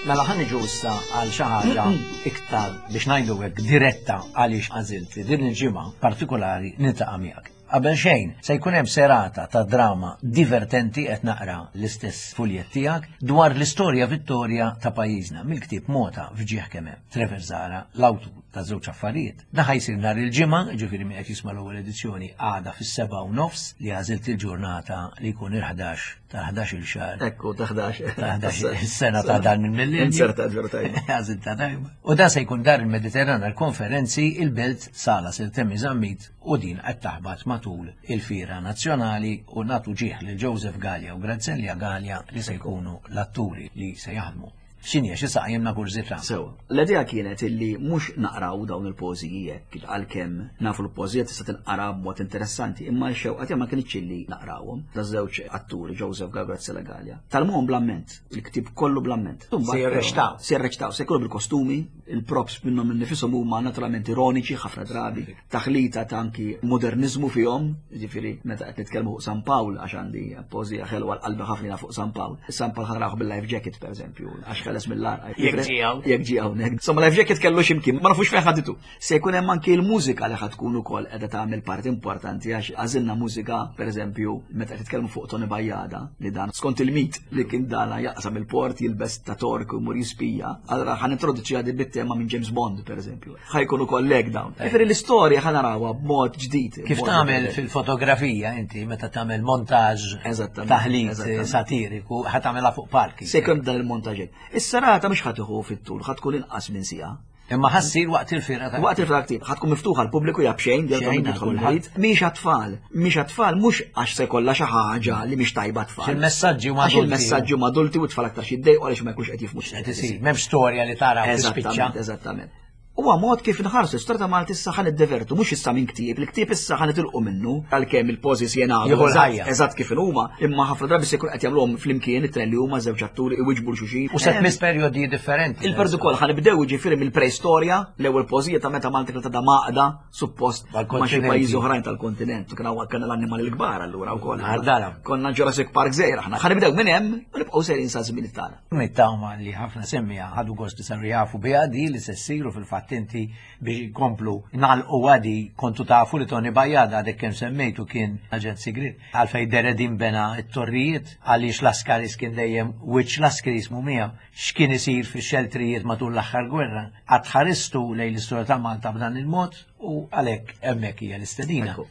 Mela ħa niġu issa għal xi ħaġa iktar biex ngħidu hekk diretta għaliex għażilt li din il-ġimgħa partikolari niltaqa' miegħek. Qabel xejn se jkun hemm serata ta' drama divertenti qed naqra l-istess fuljett tiegħek dwar l-istorja Vittoria ta' pajjiżna mill-ktieb Mota f'ġieħ kemm hemm. Trevor Zahra, l-awtur ta' żewġ affarijiet. Dan ħa jsir nhar il-ġimgħa, ġifieri min qed jisma' l-ewwel edizzjoni għada fis-sebgħa u nofs li għażilt il-ġurnata li jkun il-ħdax ta' ħdax il xahar. Ekku, ta' ħdax. Ta' ħdax is-sena ta' dan il-millenju. Inzerta ġurnata. Għażilt ta' tajba. U dan se jkun dar il-Mediterran għal-konferenzi il-Belt Sala Sir Temi Zammit u din qed taħbat matul il-Fiera Nazzjonali u nagħtu ġieħ lil Joseph Galea u Graziella Galea li se jkunu l-atturi li se jaħdmu. X'inhi xi saqajjimna kurżità? Sewa. L-idea kienet illi mhux naqraw dawn il-poeżiji hekk għalkemm nafu l-poeżija tista' tinqara b'mod interessanti, imma x-xewqa tiegħi ma kinitx illi naqrawhom. Da żewġ atturi Joseph Galea u Graziella Galea. Talmuhom bl-amment, il-ktieb kollu bl-amment. Se jirreċtaw. Se jirreċtaw, se jkunu bil-kostumi, il-props minnhom innifisom huma naturalment ironiċi ħafna drabi, taħlita ta' anki modernizmu fihom, jiġifieri meta qed nitkellmu fuq San Pawl għax għandi poeżija ħelwa l-qalbi ħafna fuq San Pawl. San Pawl ħa narawh bil-life jacket pereżempju, għax ħeles mill-għarqa. Jekk ġie hawn. Jekk ġie hawnhekk. Insomma, life jacket kellu x'imkien, ma nafux fejn ħaditu. Se jkun hemm anki l-mużika li ħad tkun ukoll qiegħda tagħmel parti importanti għax għażilna mużika, pereżempju, meta qed titkellmu fuq Tony Bajada li dan skont il-mit li kien dana jaqsam il-port jilbes ta' tork u jmur jispija. Allura ħa nintroduċi għadi bit-tema minn James Bond, pereżempju. Ħa jkun ukoll hekk dawn. Jiġifieri l-istorja ħa narawha b'mod ġdid. Kif tagħmel fil-fotografija inti meta tagħmel montaġġ taħlit satiriku, ħa tagħmelha fuq palki. Se jkun dan il-montaġġ. Is-serata mhux ħa tieħu fit-tul, ħa tkun inqas minn siegħa. Imma ħa ssir waqt il-fiera ta' Waqt il-fiera ktieb, ħa tkun miftuħa l-pubbliku jab xejn, Xejn jab jidħol kulħadd. il-ħajt. Mhix għat-tfal, mhix għat-tfal mhux għax se jkollha xi ħaġa li mhix tajba tfal. Il-messaġġi huma Għax adulti. il-messaġġi huma adulti u t-tfal aktar xi jiddejqu għaliex ma jkunx qed jifhmu Qed isir, m'hemmx storja li tara u tispiċċa. Eżattament, eżattament. Huwa mod kif inħarsu l-istorja ta' Malta issa ħa niddevertu, mhux issa minn ktieb, il-ktieb issa ħa nitilqu minnu, għalkemm il-pożi se jingħadu Jieħu eżatt, l-ħajja. eżatt kif huma, imma ħafna drabi se jkun qed jagħmluhom flimkien it-tren li huma żewġ atturi iwiġbu l xulxin. U se tmiss perjodi differenti. Il-perdu kol ħa nibdew jiġifieri mill-preistorja, l-ewwel pożija ta' meta Malta kienet għadha maqda, suppost ma' xi Mal-kontinenti. pajjiżi oħrajn tal-kontinent, kien hawn kien l-annimali l-kbar allura wkoll. Għardala. Konna Jurassic Park żgħir aħna. Ħa nibdew minn hemm u nibqgħu sejrin sa żmien tagħna. Nittama li ħafna semmija ħadu gost li saru jafu biha di li se ssiru fil-fatt inti biex jkomplu nagħlqu għadi kontu tafu li Tony Bajada għadek kemm semmejtu kien aġent sigriet għalfej Deredin bena t-torrijiet għaliex Laskaris kien dejjem wiċċ Laskaris mumija x'kien isir fix-xeltrijiet matul l-aħħar gwerra. Qatt ħaristu lejn l-istorja ta' Malta b'dan il-mod u għalhekk hemmhekk hija l-istedina. Ekku.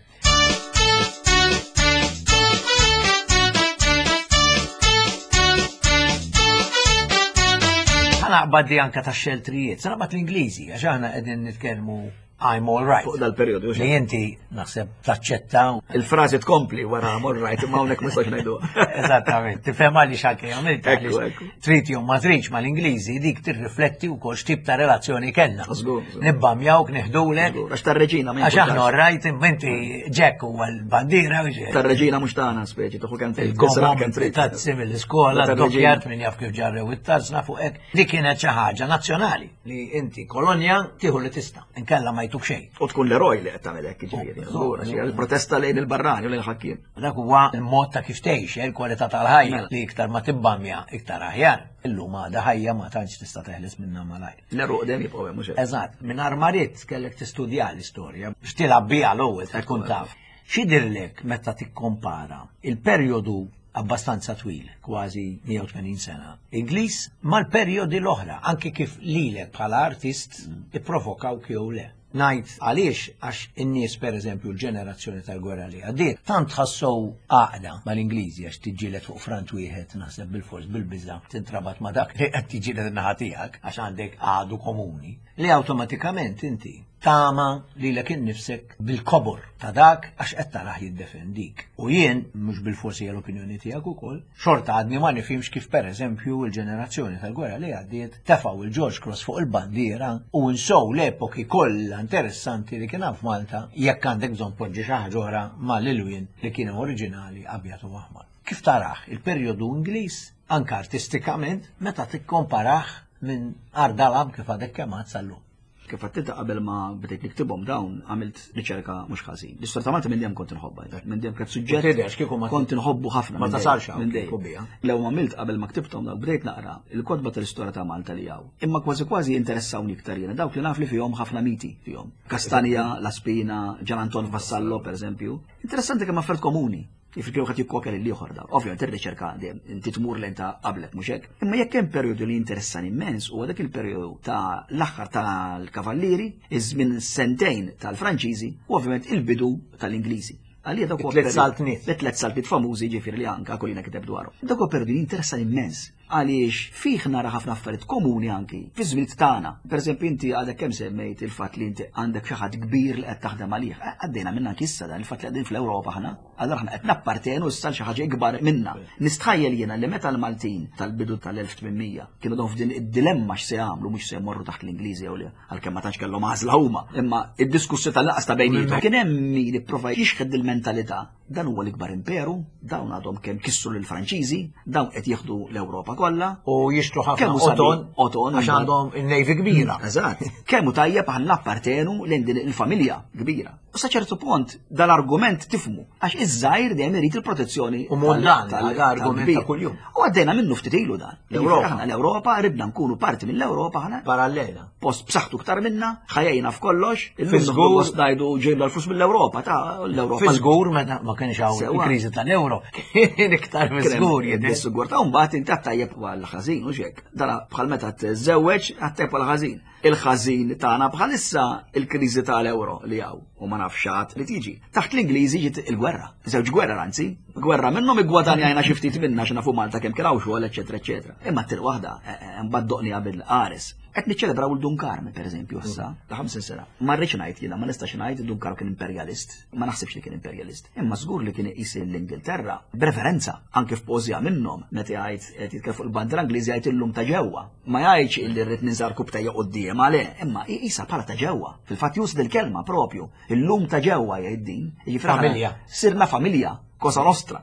Ħa naqbad di anka ta' xeltrijiet, sa naqbad l-Ingliżi, għax aħna qegħdin nitkellmu I'm all right. Fuq dal-periodu. Li inti naħseb taċċetta. Il-frażi tkompli wara I'm all right, imma hawnhekk ma nistax ngħidu. Eżattament, tifhem għaliex anke għamilt Ekku, għaliex ekku. trid jew ma tridx mal-Ingliżi dik tirrifletti wkoll x'tip ta' relazzjoni kellna. Żgur, żgur. Nibbamjawk, neħdulek, Għax tar-reġina ma għax aħna jimpurtax. all right, imma inti Jack huwa l-bandiera u ġej. Tar-reġina mhux tagħna speċi, tuħu kemm trid. tisraq Il-gomom kemm trid. tazzi mill-iskola, Tar-reġina. doppjat minn jaf kif ġarrew it-tarzna fuq hekk. Li kienet xi ħaġa nazzjonali li inti kolonja tieħu li tista' inkella ma jtuk xejn. U tkun l-eroj li qed tagħmel hekk jiġifieri. Żgur, għax hija l-protesta lejn il-barrani u lejn il-ħakkiem. Dak huwa il-mod ta' kif tgħix, eh, il-kwalità tal-ħajja Mela. li iktar ma tibbamja iktar aħjar. Illum għadha ħajja ma tantx tista' teħles minnha malajr. L-eruq dejjem jibqgħu hemm mhux hekk. Eżatt, minn marit kellek tistudja l-istorja biex tilgħab biha l-ewwel ta' tkun taf. X'jidhirlek meta tikkompara il-perjodu abbastanza twil, kważi mija u tmenin sena, Ingliż mal-perjodi l-oħra, anki kif lilek bħala artist ipprovokawk jew le. Ngħid għaliex għax in-nies pereżempju l-ġenerazzjoni tal-gwerra li għaddiet tant ħassow għaqda mal-Ingliżi għax tiġġieled fuq front wieħed naħseb bil-fors bil-biża tintrabat ma' dak li qed tiġġieled in-naħa tiegħek għax għandek għadu komuni li awtomatikament inti tama lilek innifsek bil-kobor ta' dak għax qed tarah jiddefendik. U jien, mhux bil-forsi hija l-opinjoni tiegħek ukoll, xorta għadni ma nifhimx kif pereżempju l-ġenerazzjoni tal-gwerra li għaddiet tefgħu il-George Cross fuq il-bandiera u nsow l-epoki kollha interessanti li kien hawn f'Malta jekk għandek bżonn poġġi xi ħaġa oħra mal-ilwien li kienu oriġinali abjad u aħmar. Kif tarah il-perjodu Ingliż anke artistikament meta tikkomparah minn Ardalam kif għadek kemm għad sal-lum? Kif għattita qabel ma bdejt niktibhom dawn għamilt riċerka mhux ħażin. L-istorja ta' Malta minn dejjem kont inħobbha, minn dejjem kienet suġġett. Tidher kieku ma kont inħobbu ħafna. ma minn dejjem, tasalx hawn minn dejjem. kieku biha. Lew għamilt qabel ma ktibthom dawk bdejt naqra il-kotba tal-istorja ta' Malta li hawn. Imma kważi kważi interessawni iktar jiena dawk li naf li fihom ħafna miti fihom. Kastanja, La Spina, Gian Anton Vassallo per eżempju. Interessanti kemm affarijiet komuni. Jiġifieri kieku ħadd jikkopja lil ieħor daw. Ovvjament ir-riċerka dejjem inti tmur lejn ta' qablek mhux hekk. Imma jekk hemm perjodu li interessani immens huwa dak il-perjodu ta' l-aħħar tal-Kavallieri, iż-żmien sentejn tal-Franċiżi u ovvjament il-bidu tal-Ingliżi. Għalija dak huwa It-tliet perjodu- saltniet. It-tliet saltniet famużi ġifieri li anka Aquilina kiteb dwarhom. Dak huwa perjodu li interessani immens għaliex fih nara ħafna affarijiet komuni anki fi żmien tagħna. Pereżempju inti għadek kemm semmejt il-fatt li inti għandek xi ħadd kbir li qed taħdem għalih. Eh, Għaddejna minna anki issa dan il-fatt li qegħdin fl-Ewropa aħna. Allura aħna qed nappartenu issa l xi ħaġa ikbar minna. Nistħajjel jiena li meta l-Maltin tal-bidu tal-elf tmien mija kienu dawn f'din id-dilemma x'se jagħmlu mhux se jmorru taħt l-Ingliżi jew le għalkemm ma tantx kellhom għażla huma. Imma id-diskussjoni tal-laqas ta' bejniethom kien hemm min ipprova jixħed il-mentalità. Dan huwa l-ikbar imperu, dawn għadhom kemm kissru lill-Franċiżi, dawn qed jieħdu l-Ewropa kollha. U jixtru ħafna Kemm hu sabiħ, oton, oton, għax għandhom il-navy kbira. Eżatt. Kemm hu tajjeb aħna nappartenu lejn din il-familja kbira. U sa ċertu punt dal-argument tifmu għax iż-żgħir dejjem irid il-protezzjoni U mondan, tal- għal argument tal-kbir. ta' kuljum. U għaddejna minnu ftit ilu dan. L-Ewropa. Aħna l-Ewropa ridna nkunu parti mill-Ewropa aħna. Parallela. Post b'saħħtu ktar minna, ħajjina f'kollox, illum Fi żgur- gost ngħidu ġejna l-flus mill-Ewropa, ta' l-Ewropa. Fi żgur meta ma kienx hawn Sewa. il-kriżi tal-euro, kien iktar fi żgur jidher. Bis-sigur ta' mbagħad inti għattajjeb għal ħażin u xek. Dara bħal meta tiżżewweġ għattajjeb għal ħażin. Il-ħażin tagħna bħalissa il-kriżi tal-euro li hawn u ma nafx għad li tiġi. Taħt l-Ingliżi ġiet il-gwerra. Żewġ gwerra anzi, gwerra minnhom iggwadanjajna xi ftit minna xi nafu Malta kemm kien hawn xogħol eċetera eċetera. Imma t-tieni waħda eh, eh, mbagħad doqni qabel qares. Qed niċċelebraw il-Dun Karm, per eżempju, issa, ta' ħamsin sena. Ma rridx ngħid jiena, ma nistax ngħid Dun Karm kien imperjalist, ma naħsibx li kien imperjalist. Imma żgur li kien iqis l-Ingilterra b'referenza anke f'pożja minnhom meta jgħid qed jitkellem fuq il-bandiera Ingliżi jgħid illum ta' ġewwa. Ma jgħidx illi rrid ninżar kubtejja quddiem għalih, imma iqisha bħala ta' ġewwa. Fil-fatt juża il-kelma propju, illum ta' ġewwa jgħid din. Jiġifieri aħna Familja. Sirna familja, Cosa Nostra.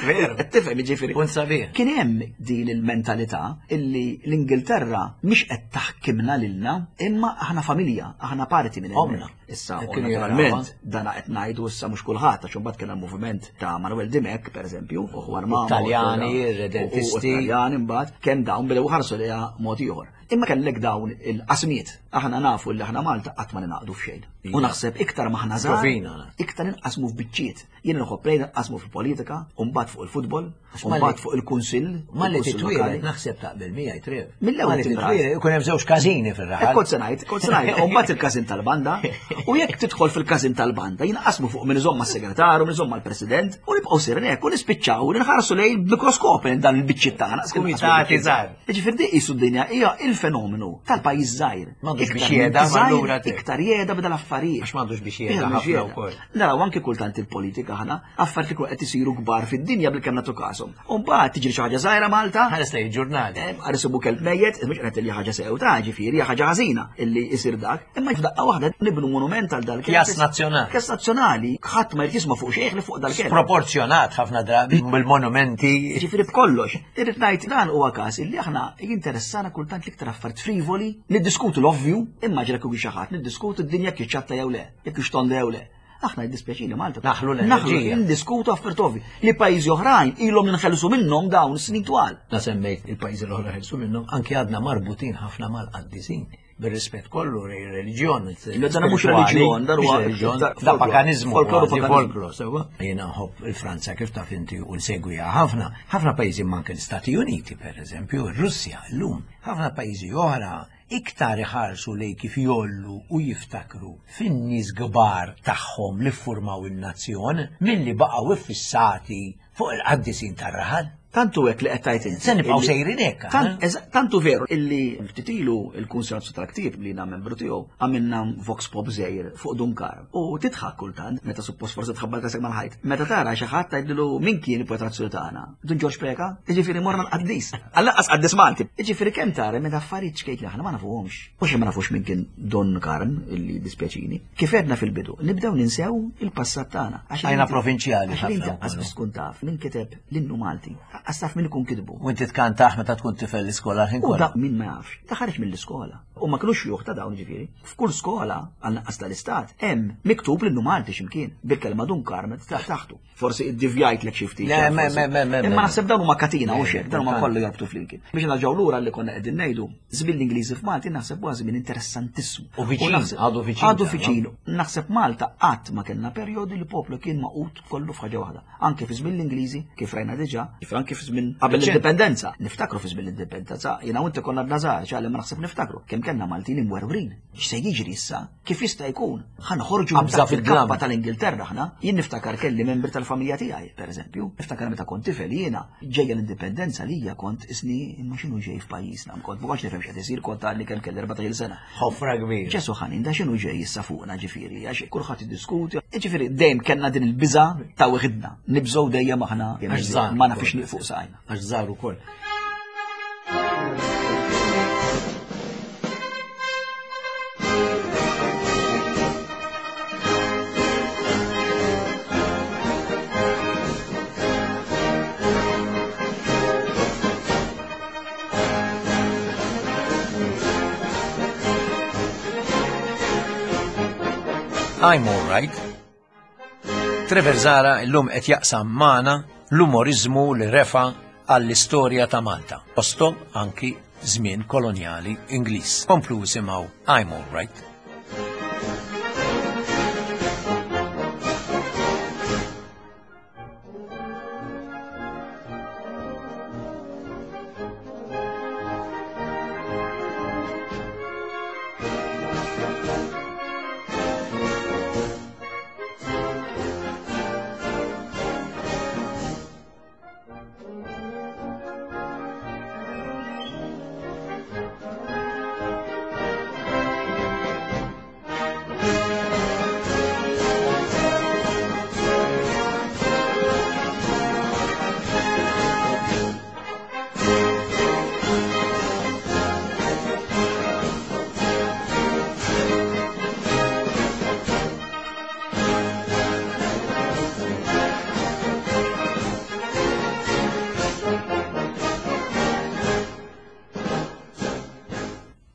Veru. Tifhem jiġifieri. Punt sabiħ. Kien hemm din il-mentalità illi l-Ingilterra mhix qed taħkimna lilna, imma aħna familja, aħna parti minn Omna. hemmhekk. Issa, Hekk kienu naturalment, jarawha. dana qed ngħidu issa mhux kulħadd għax imbagħad kien hemm moviment ta' Manuel Dimech, pereżempju, u Juan Mamo, Italjani, u- u- redentisti. u Italjani imbagħad kemm dawn bdew ħarsu lejha mod ieħor. Imma kellek dawn il-qasmiet. Aħna nafu li aħna Malta qatt ma ninaqdu f'xejn. U naħseb iktar maħna żgħar, Rovina. iktar inqasmu f'biċċiet. Jien nħobb lejn inqasmu fil-politika, u mbagħad fuq il-futbol, u malli- mbagħad fuq il-kunsill. Malli il-kunsill titwieled lokali. naħseb taqbel miegħi Trev. Mill-ewwel Malli tibra. titwieled ikun hemm żewġ każini Eh, fir-raħal. Kont se ngħid, kont se ngħid, u mbagħad il-każin tal-banda, u jekk tidħol fil-każin tal-banda, jinqasmu fuq min iżomm mas-segretarju, min iżomm mal-president, u nibqgħu sirin hekk u nispiċċaw u nħarsu lejn b'mikroskop lejn dan il-biċċiet tagħna. Kumitati żgħar. Jiġifieri di qisu d-dinja hija il-fenomenu tal-pajjiż żgħir. M'għandux biex Iktar jeda, minn żgħir, allura te. Iktar jeda b'dal affarijiet. Għax m'għandux biex jeda Vera, ħafna jeda. wkoll. Naraw anke kultant il-politika aħna, affarijiet li qed isiru kbar fid-dinja bil-kemm nagħtu każhom. U mbagħad tiġri xi ħaġa żgħira Malta, Ħares lejn il-ġurnali. Għarisibu kelb mejjet, mhux qed li ħaġa sew ta' ġifieri, hija ħaġa ħażina illi jsir dak, imma f'daqqa waħda nibnu monument għal dal-kelb. Kjas nazzjonali. Kjas nazzjonali, ħadd ma jrid jisma' fuq xejn li fuq dal-kelb. Sproporzjonat ħafna drabi bil-monumenti. Ġifieri b'kollox, irrid ngħid dan huwa każ illi aħna jinteressana kultant l-iktar affarijiet frivoli, niddiskutu l-ovvju, immaġina kieku xi ħadd niddiskutu d-dinja kif ċatta jew le, jekk hix tonda jew le. Aħna jiddispjaċini Malta. Naħlu l-enerġija. Naħlu ndiskutu affarijiet ovvi li pajjiżi oħrajn ilhom ninħelsu minnhom dawn snin twal. La semmejt il-pajjiżi l-oħra ħelsu minnhom, anki għadna marbutin ħafna mal-qaddisin. Bir-rispett kollu lejn reliġjon. Le, dan mhux reliġjon, dan huwa Mhux reliġjon, iktar da folklor. paganizmu, Folklor u kważi paganizmu. folklor, sewwa. Jiena nħobb il-Franza kif taf inti u nsegwiha ħafna. Ħafna pajjiżi manke l-Istati Uniti, per eżempju, ir-Russja llum. Ħafna pajjiżi oħra iktar iħarsu lej kif jollu u jiftakru fin-nies kbar tagħhom li ffurmaw in-nazzjon milli baqgħu iffissati fuq il-qaddisin tar-raħal. Tantu hekk li qed tgħid inti. Se nibqgħu Illi- sejrin hekk, Tant- aħna? eża- Tantu veru illi ftit ilu il-Kunsill tal-Ktieb li jiena membru tiegħu għamilna vox pop żgħir fuq Dunkar. U tidħak kultant meta suppost forsi tħabbal tasek mal-ħajt. Meta tara xi ħadd tgħidlu min kien il-poeta nazzjonali tagħna. Dun Ġorġ Preka, jiġifieri morna l-qaddis. Għall-anqas qaddis Malti. Jiġifieri kemm tara meta affarijiet xkejt li aħna ma nafuhomx. Mhux ma nafux min kien Don Karm illi dispjaċini. Kif għedna fil-bidu, nibdew ninsew il-passat tagħna. Għax Għajna inti- provinċjali għax inti ħafna qas wkoll. biss tkun taf min kiteb l-innu Malti. Qas taf min ikun kitbu. U inti tkantaħ meta tkun tifel l-iskola ħin U kollu. da min ma jafx, ta' ħareġ mill-iskola. U ma kinux xjuħ ta' dawn ġifieri. F'kull skola għal naqqas tal-istat hemm miktub l-innu Malti x'imkien bil-kelma Dun Karm ta' taħtu. Forsi iddivjajt lek xi ftit. Le, me, forsi. me, me, me, Imma me. naħseb dawn huma katina u Le, xek, dawn huma importanti. kollu jorbtu flimkien. Biex narġgħu lura li konna qegħdin ngħidu, żmien l-Ingliżi f'Malti naħseb huwa żmien interessantissimu. U viċin, naħseb- għadu viċin Għadu tagħna. viċin. Naħseb Malta qatt ma kellna perjodi li poplu kien maqut kollu f'ħaġa waħda. Anke fi żmien l-Ingliżi, kif rajna diġà, kif anke fi żmien qabel Reċenti. l-indipendenza. Niftakru fi żmien l-indipendenza, jiena u inti konna b'nażar, ċali ma naħseb niftakru. Kemm kellna Maltin imwerwrin. X'se jiġri issa? Kif jista' jkun? Ħanħorġu minn Qabża taħt fid-dlam. il-kappa tal-Ingilterra aħna. Jien niftakar kelli membri tal-familja tiegħi, pereżempju. Niftakar meta kont tifel jiena ġejja l-indipendenza lija kont isni imma x'inhu ġej f'pajjiżna, kont ma kontx nifhem x'qed isir, kont għadni kemm kelli erbatax-il sena. Ħofra kbira. Ġesu ħanin, da xinu ġej issa fuqna ġifieri, għax kulħadd jiddiskuti. Ġifieri dejjem kellna din il-biża ta' weħidna. Nibżgħu dejjem aħna Għax żgħar ma nafx ukoll. nieqfu saqajna. Għax żgħar ukoll. I'm all right. Trevor Zara illum qed jaqsam magħna l-umorizmu li refa għall-istorja ta' Malta. Postom anki żmien kolonjali Ingliż. Komplu simgħu I'm all right.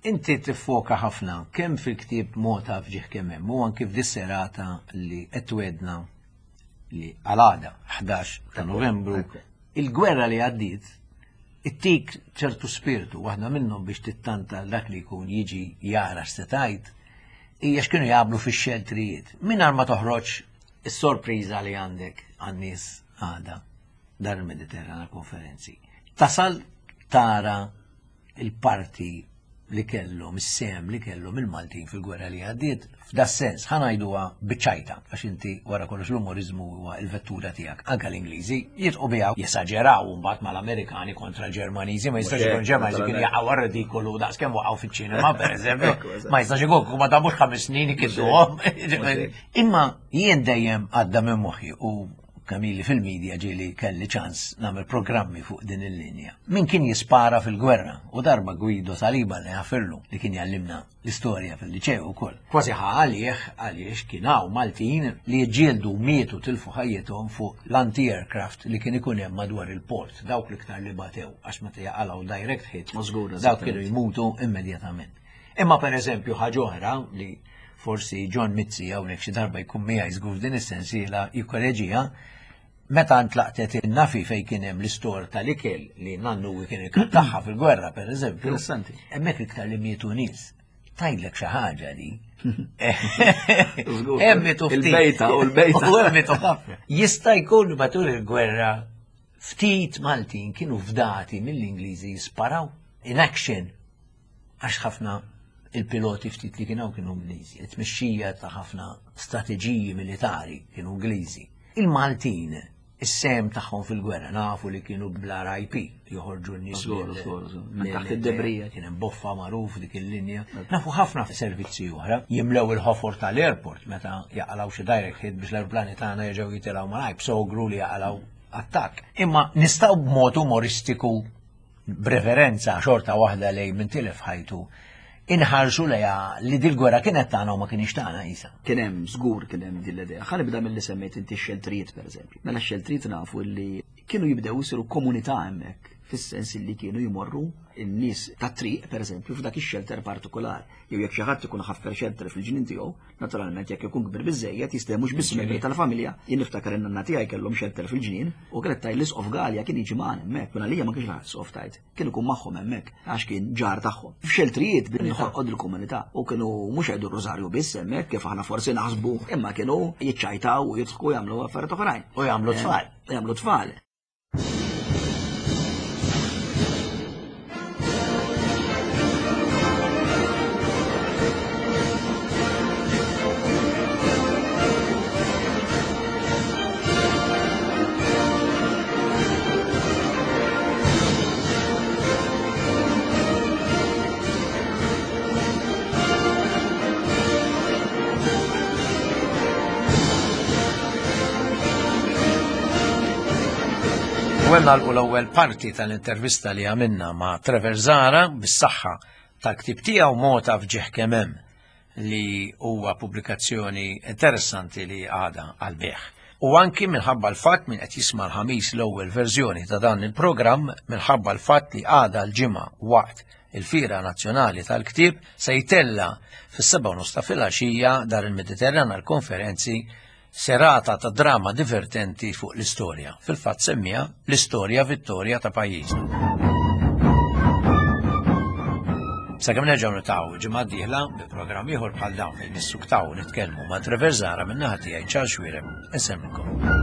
Inti tiffoka ħafna kemm fil-ktieb Mota fġieħ kemm hemm u anki f'dis-serata li qed twedna li għal-għada ħdax ta' Novembru il-gwerra li għaddiet ittik ċertu spiritu waħda minnhom biex tittanta dak li jkun jiġi jara x'se tgħid hija x'kienu jagħmlu fix-xeltrijiet. Mingħajr ma toħroġ is-sorpriża li għandek għan-nies għada dar il-Mediterrana konferenzi. Tasal tara il-parti li kellhom, is-sem li kellhom il-Maltin fil-gwerra li għaddiet, f'da sens ħa ngħiduha biċ-ċajta, għax inti wara kollox l-umoriżmu huwa l-vettura tiegħek. Anke l-Ingliżi jitqu biha jesaġeraw mbagħad mal-Amerikani kontra l-Ġermaniżi, ma jistax ikun Ġermaniżi kien jaqgħu ridikolu daqs kemm waqgħu fiċ-ċinema pereżempju, ma jistax ikun ma damux ħames snin ikidduhom. Imma jien dejjem għadda minn moħħi u kamili fil-medja ġieli kelli ċans nagħmel programmi fuq din il-linja. Min kien jispara fil-gwerra u darba Guido Saliba li għafirlu li kien jallimna l-istorja fil-liċew ukoll. Kważi ħa għalih għaliex kien hawn Maltin li ġġieldu mietu tilfu ħajjithom fuq l-anti-aircraft li kien ikun hemm madwar il-port, dawk l-iktar li batew għax meta jaqalgħu direct hit, dawk kienu jmutu immedjatament. Imma per eżempju ħaġa oħra li forsi John Mizzi hawnhekk xi darba jkun miegħi żgur din is-sensiela jikkoreġiha, meta ntlaqtet in-nafi fejn kien hemm l-istor tal-ikel li nannu kien ikkattaħħa fil-gwerra pereżempju. Interessanti. Hemmhekk iktar li mietu nies. Tgħidlek xi ħaġa di. Hemm mietu ftit. Il-bejta u l-bejta. U hemm mietu ħafna. Jista' jkun matul il-gwerra ftit Maltin kienu fdati mill-Ingliżi jisparaw in action għax ħafna il-piloti ftit li kienu kienu Ingliżi, it-tmexxija ta' ħafna strateġiji militari kienu Ingliżi. Il-Maltin, is-sem tagħhom fil-gwerra nafu li kienu bl-R I P, joħorġu n-nies minn taħt id-debrija. Kien hemm boffa magħruf dik il-linja. Nafu ħafna servizzi oħra, jimlew il-ħofor tal-airport meta jaqalgħu xi direct hit biex l-aeroplani tagħna jerġgħu jitilgħu malajr, b'sogru li jaqalgħu attakk. Imma nistgħu b'mod umoristiku b'referenza xorta waħda lejn min tilef ħajtu inħarsu lejha li dil-gwerra kienet tagħna u ma kienx tagħna isa. Kien hemm żgur kien hemm din l-idea. Ħa nibda milli semmejt inti x-xeltrijiet pereżempju. Mela x-xeltrijiet nafu li kienu jibdew isiru komunità hemmhekk, fis-sens li kienu jmorru n-nies tat-triq pereżempju f'dak ix-xelter partikolari. Jew jekk xi ħadd ikun ħaffer xelter fil-ġnien tiegħu, naturalment jekk ikun kbir biżejjed jista' mhux biss membri tal-familja. Jien niftakar in-nanna tiegħi kellhom xelter fil-ġnien u kienet tgħid l-isqof Galea kien jiġi magħna hemmhekk, minn għalija ma kienx laħaq isqof tgħid, kien ikun magħhom hemmhekk għax kien ġar tagħhom. F'xeltrijiet billi ħolqod il-komunità u kienu mhux jgħidu r-rożarju biss hemmhekk kif aħna forsi naħsbu, imma kienu jiċċajtaw u jidħku jagħmlu affarijiet oħrajn. U jagħmlu tfal. U jagħmlu tfal. U hemm nagħlqu l-ewwel parti tal-intervista li għamilna ma' Trevor Zahra bis-saħħa tal-ktieb tiegħu Mota f'Ġieħ Kemm Hemm li huwa pubblikazzjoni interessanti li għadha għall-bejgħ. U anki minħabba l-fatt min qed jisma' l-ħamis l-ewwel verżjoni ta' dan il-programm, minħabba l-fatt li għadha l-ġimgħa waqt il-Fira Nazzjonali tal-Ktieb se jtella fis-sebgħa u nofs ta' filgħaxija dar il-Mediterran għall-konferenzi serata ta' drama divertenti fuq l-istorja. Fil-fatt semmija l-istorja Vittoria ta' pajjiżna. Sakemm nerġgħu niltaqgħu ġimgħa d-dieħla bi programm ieħor bħal dawn fejn nissuktaw nitkellmu ma' Trevor Zahra min-naħa tiegħi Charles Xuereb. Insellmilkom.